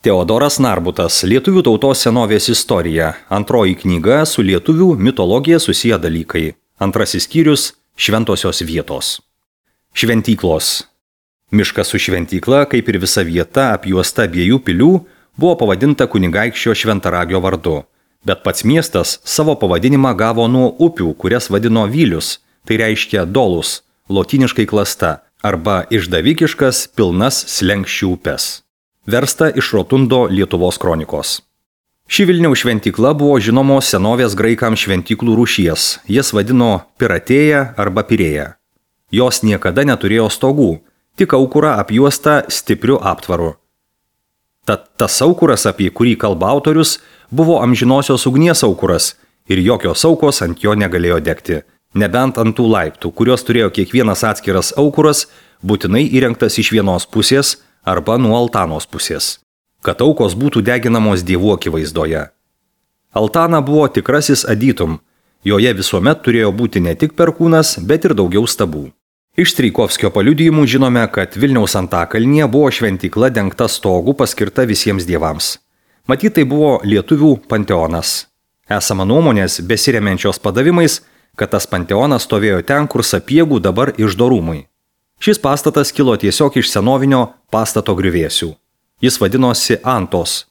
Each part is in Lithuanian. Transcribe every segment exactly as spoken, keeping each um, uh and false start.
Teodoras Narbutas, Lietuvių tautos senovės istorija. Antroji knyga su lietuvių mitologija susiję dalykai. Antrasis skyrius – šventosios vietos. Šventyklos. Miškas su šventykla, kaip ir visa vieta apjuosta abiejų pilių, buvo pavadinta kunigaikščio Šventaragio vardu. Bet pats miestas savo pavadinimą gavo nuo upių, kurias vadino Vylius, tai reiškia dolus, lotyniškai klasta, arba išdavikiškas pilnas slenkščių upes. Versta iš Rotundo Lietuvos kronikos. Ši Vilniaus šventykla buvo žinomos senovės graikams šventyklų rūšies, jas vadino Piratėja arba Pirėja. Jos niekada neturėjo stogų, tik aukurą apjuostą stipriu aptvaru. Tad tas aukuras, apie kurį kalba autorius, buvo amžinosios ugnies aukuras ir jokios aukos ant jo negalėjo degti, nebent ant tų laiptų, kurios turėjo kiekvienas atskiras aukuras, būtinai įrengtas iš vienos pusės arba nuo altanos pusės, kad aukos būtų deginamos dievų akivaizdoje. Altana buvo tikrasis adytum, joje visuomet turėjo būti ne tik perkūnas, bet ir daugiau stabų. Iš Strijkovskio paliudijimų žinome, kad Vilniaus Antakalnyje buvo šventykla dengta stogu paskirta visiems dievams. Matyt, tai buvo lietuvių panteonas. Esama nuomonės, besiremiančios padavimais, kad tas panteonas stovėjo ten, kur Sapiegų dabar iždo rūmai. Šis pastatas kilo tiesiog iš senovinio pastato griuvėsių. Jis vadinosi Antos.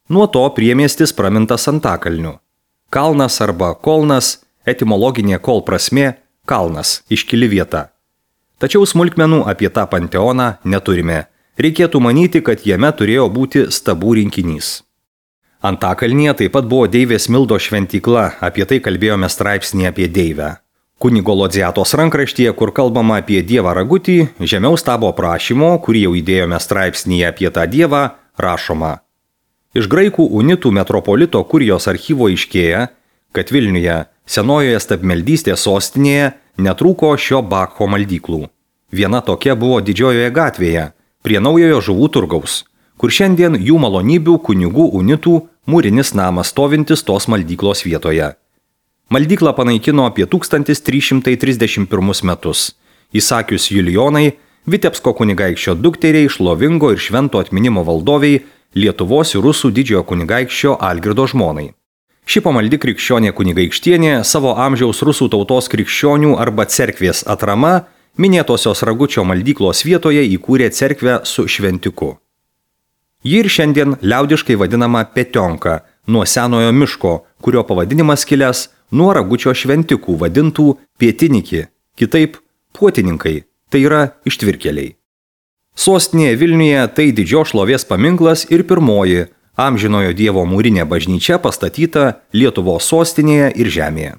Nuo to priemiestis pramintas Antakalniu. Kalnas arba kolnas, etimologinė kol prasmė – kalnas, iškili vieta. Tačiau smulkmenų apie tą panteoną neturime. Reikėtų manyti, kad jame turėjo būti stabų rinkinys. Antakalnyje taip pat buvo deivės Mildos šventykla, apie tai kalbėjome straipsnį apie deivę. Kunigo Lodziatos rankraštyje, kur kalbama apie dievą Ragutį, žemiau stabo aprašymo, kurį jau įdėjome straipsnyje apie tą dievą, rašoma. Iš graikų unitų metropolito Kurijos archyvo aiškėja, kad Vilniuje, senojoje stabmeldystės sostinėje, netrūko šio Bakcho maldyklų. Viena tokia buvo Didžiojoje gatvėje, prie naujojo žuvų turgaus, kur šiandien jų malonybių kunigų unitų mūrinis namas stovintis tos maldyklos vietoje. Maldyklą panaikino apie tūkstantis trys šimtai trisdešimt pirmus metus, įsakius Julijonai, Vitebsko kunigaikščio dukteriai, šlovingo ir švento atminimo valdoviai, Lietuvos ir Rusų didžiojo kunigaikščio Algirdo žmonai. Ši pamaldi krikščionė kunigaikštienė savo amžiaus rusų tautos krikščionių arba cerkvės atrama minėtosios Ragučio maldyklos vietoje įkūrė cerkvę su šventiku. Ji ir šiandien liaudiškai vadinama Petionka, nuo senojo miško, kurio pavadinimas kilęs nuo Ragučio šventikų vadintų Pietiniki, kitaip Puotininkai, tai yra ištvirkeliai. Sostinėje Vilniuje tai didžios šlovės paminklas ir pirmoji amžinojo dievo mūrinė bažnyčia pastatyta Lietuvos sostinėje ir žemėje.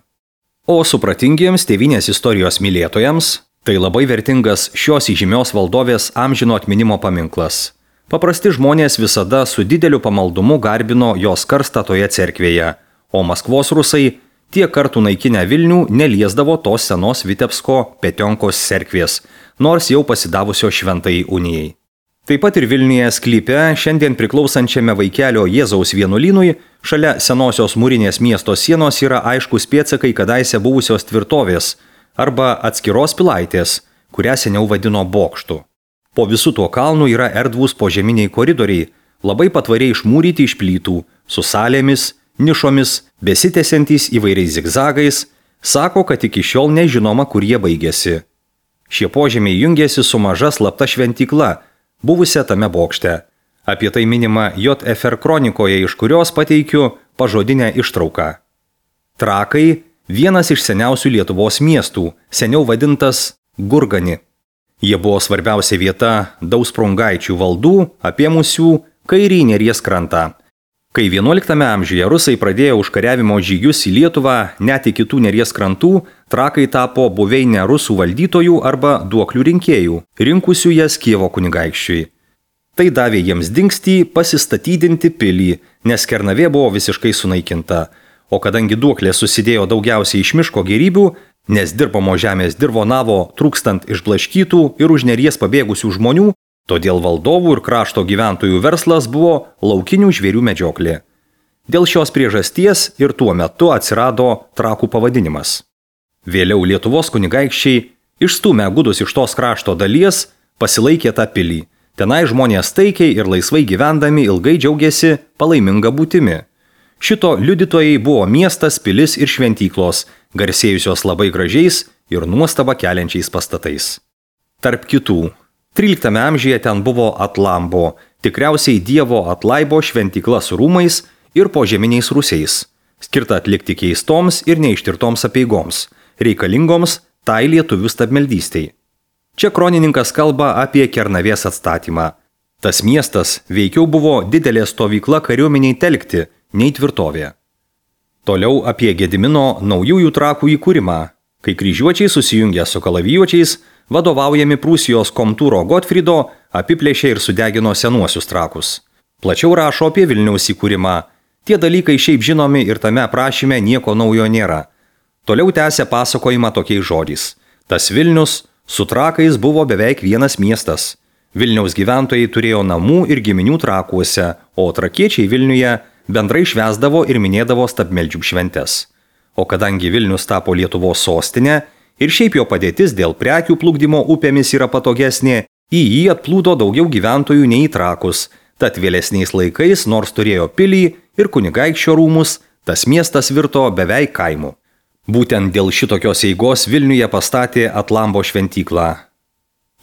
O supratingiems tėvynės istorijos mylėtojams tai labai vertingas šios įžymios valdovės amžino atminimo paminklas. Paprasti žmonės visada su dideliu pamaldumu garbino jos karstą toje cerkvėje, o Maskvos rusai tiek kartų naikinę Vilnių neliesdavo tos senos Vitebsko Petionkos cerkvės, nors jau pasidavusio šventai unijai. Taip pat ir Vilniuje sklype, šiandien priklausančiame Vaikelio Jėzaus vienuolynui, šalia senosios mūrinės miesto sienos yra aiškus pėdsakai kadaise buvusios tvirtovės arba atskiros pilaitės, kurią seniau vadino bokštu. Po visų tuo kalnu yra erdvūs požeminiai koridoriai, labai patvariai išmūryti iš plytų, su salėmis, nišomis, besitęsiantys įvairiais zigzagais, sako, kad iki šiol nežinoma, kur jie baigėsi. Šie požemiai jungėsi su maža slapta šventykla, buvusią tame bokšte. Apie tai minima J F R kronikoje, iš kurios pateikiu pažodinę ištrauką. Trakai – vienas iš seniausių Lietuvos miestų, seniau vadintas Gurgani. Jie buvo svarbiausia vieta Dausprungaičių valdų, apėmusių kairį Neries krantą. Kai vienuoliktame amžiuje rusai pradėjo užkariavimo žygius į Lietuvą, net iki kitų Neries krantų, trakai tapo buveinę rusų valdytojų arba duoklių rinkėjų, rinkusių jas Kijevo kunigaikščiui. Tai davė jiems dingstį pasistatydinti pilį, nes Kernavė buvo visiškai sunaikinta, o kadangi duoklė susidėjo daugiausiai iš miško gėrybių, nes dirbamo žemės dirvonavo trūkstant išblaškytų ir už Neries pabėgusių žmonių, todėl valdovų ir krašto gyventojų verslas buvo laukinių žvėrių medžioklė. Dėl šios priežasties ir tuo metu atsirado trakų pavadinimas. Vėliau Lietuvos kunigaikščiai, išstūmę gudus iš tos krašto dalies, pasilaikė tą pilį, Tenai žmonės taikiai ir laisvai gyvendami ilgai džiaugiasi palaiminga būtimi. Šito liudytojai buvo miestas, pilis ir šventyklos, garsėjusios labai gražiais ir nuostabą keliančiais pastatais. Tarp kitų, tryliktame amžiuje ten buvo Atlambo, tikriausiai dievo Atlaibo šventykla su rūmais ir požeminiais rūsiais, skirta atlikti keistoms ir neištirtoms apeigoms, reikalingoms tai lietuvių stabmeldystei. Čia kronininkas kalba apie Kernavės atstatymą. Tas miestas veikiau buvo didelė stovykla kariuomeniai telkti, nei tvirtovė. Toliau apie Gedimino naujųjų trakų įkūrimą, kai kryžiuočiai susijungė su kalavijuočiais, vadovaujami Prūsijos komtūro Gotfrido, apiplėšė ir sudegino senuosius trakus. Plačiau rašo apie Vilniaus įkūrimą. Tie dalykai šiaip žinomi ir tame aprašyme nieko naujo nėra. Toliau tęsia pasakojimą tokiais žodžiais. Tas Vilnius su trakais buvo beveik vienas miestas. Vilniaus gyventojai turėjo namų ir giminių trakuose, o trakiečiai Vilniuje bendrai švęsdavo ir minėdavo stabmeldžių šventes. O kadangi Vilnius tapo Lietuvos sostinė ir šiaip jo padėtis dėl prekių plukdymo upėmis yra patogesnė, į jį atplūdo daugiau gyventojų nei į trakus, tad vėlesniais laikais, nors turėjo pilį ir kunigaikščio rūmus, tas miestas virto beveik kaimu. Būtent dėl šitokios eigos Vilniuje pastatė Atlambo šventyklą.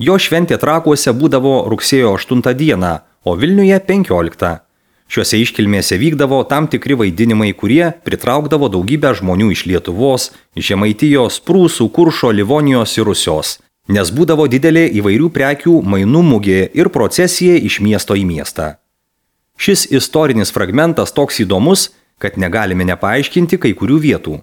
Jo šventė trakuose būdavo rugsėjo aštuntą dieną, o Vilniuje penkioliktą. Šiuose iškilmėse vykdavo tam tikri vaidinimai, kurie pritraukdavo daugybę žmonių iš Lietuvos, Žemaitijos, Prūsų, Kuršo, Livonijos ir Rusios, nes būdavo didelė įvairių prekių mainų mugė ir procesija iš miesto į miestą. Šis istorinis fragmentas toks įdomus, kad negalime nepaaiškinti kai kurių vietų.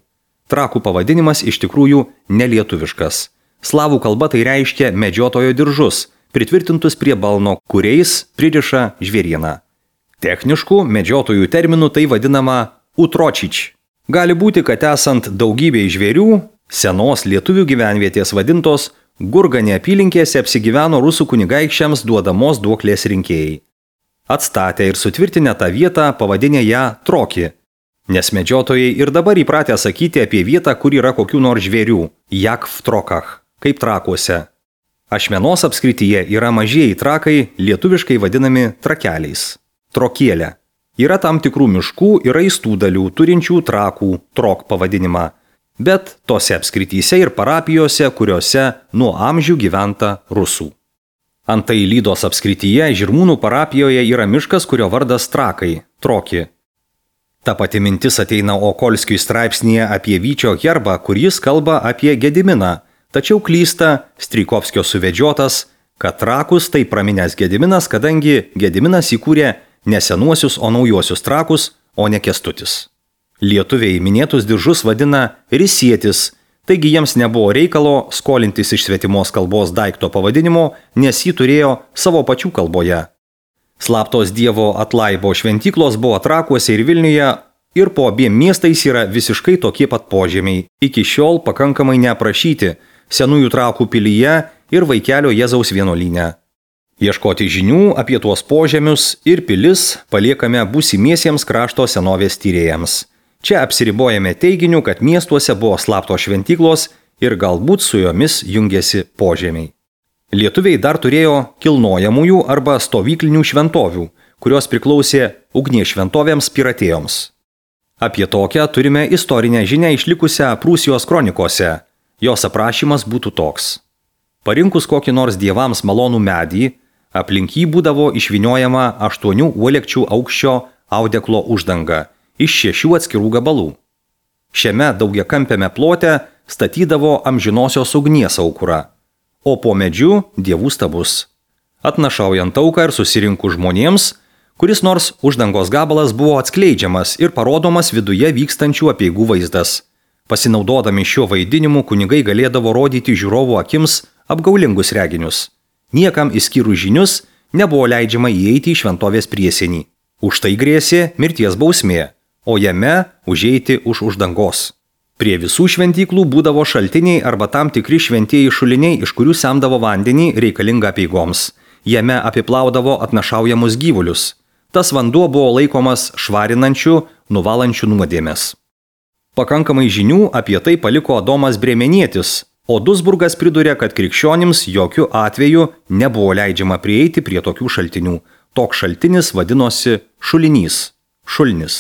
Trakų pavadinimas iš tikrųjų nelietuviškas. Slavų kalba tai reiškia medžiotojo diržus, pritvirtintus prie balno, kuriais pririša žvėrieną. Techniškų medžiotojų terminų tai vadinama utročič. Gali būti, kad esant daugybei žvėrių, senos lietuvių gyvenvietės vadintos Gurganė apylinkėse apsigyveno rusų kunigaikščiams duodamos duoklės rinkėjai. Atstatę ir sutvirtinę tą vietą pavadinę ją Troki, nes medžiotojai ir dabar įpratę sakyti apie vietą, kur yra kokių nors žvėrių, jak v trokach, kaip trakuose. Ašmenos apskrityje yra mažieji trakai, lietuviškai vadinami trakeliais. Trokėlė. Yra tam tikrų miškų ir raistų dalių turinčių trakų, trok pavadinimą, bet tose apskrityse ir parapijose, kuriuose nuo amžių gyventa rusų. Antai Lydos apskrityje Žirmūnų parapijoje yra miškas, kurio vardas Trakai, Troki. Ta pati mintis ateina Okolskiui straipsnėje apie Vyčio herbą, kur jis kalba apie Gediminą, tačiau klysta Strykovskio suvedžiotas, kad trakus tai praminęs Gediminas, kadangi Gediminas įkūrė ne senuosius, o naujuosius trakus, o ne Kęstutis. Lietuviai minėtus diržus vadina risietis, taigi jiems nebuvo reikalo skolintis iš svetimos kalbos daikto pavadinimo, nes jį turėjo savo pačių kalboje. Slaptos dievo Atlaibo šventyklos buvo Trakuose ir Vilniuje ir po abiem miestais yra visiškai tokie pat požemiai, iki šiol pakankamai neaprašyti Senųjų Trakų pilyje ir Vaikelio Jėzaus vienuolyne. Ieškoti žinių apie tuos požemius ir pilis paliekame būsimiesiems krašto senovės tyrėjams. Čia apsiribojame teiginiu, kad miestuose buvo slaptos šventyklos ir galbūt su jomis jungėsi požemiai. Lietuviai dar turėjo kilnojamųjų arba stovyklinių šventovių, kurios priklausė ugnies šventovėms piratėjoms. Apie tokią turime istorinę žinią išlikusią Prūsijos kronikose. Jos aprašymas būtų toks. Parinkus kokį nors dievams malonų medį, aplink jį būdavo išvyniojama aštuonių uolekčių aukščio audeklo uždanga iš šešių atskirų gabalų. Šiame daugiakampiame plote statydavo amžinosios ugnies aukurą, o po medžiu dievų stabus. Atnašaujant auką ir susirinku žmonėms, kuris nors uždangos gabalas buvo atskleidžiamas ir parodomas viduje vykstančių apeigų vaizdas. Pasinaudodami šiuo vaidinimu kunigai galėdavo rodyti žiūrovų akims apgaulingus reginius. Niekam išskyrus žinius nebuvo leidžiama įeiti į šventovės priesienį. Už tai grėsė mirties bausmė, o jame užeiti už uždangos. Prie visų šventyklų būdavo šaltiniai arba tam tikri šventieji šuliniai, iš kurių semdavo vandenį reikalingą apeigoms. Jame apiplaudavo atnašaujamus gyvulius. Tas vanduo buvo laikomas švarinančiu, nuvalančiu nuodėmes. Pakankamai žinių apie tai paliko Adomas Brėmenietis, O Duisburgas priduria, kad krikščionims jokių atveju nebuvo leidžiama prieiti prie tokių šaltinių. Toks šaltinis vadinosi šulinys, šulnis.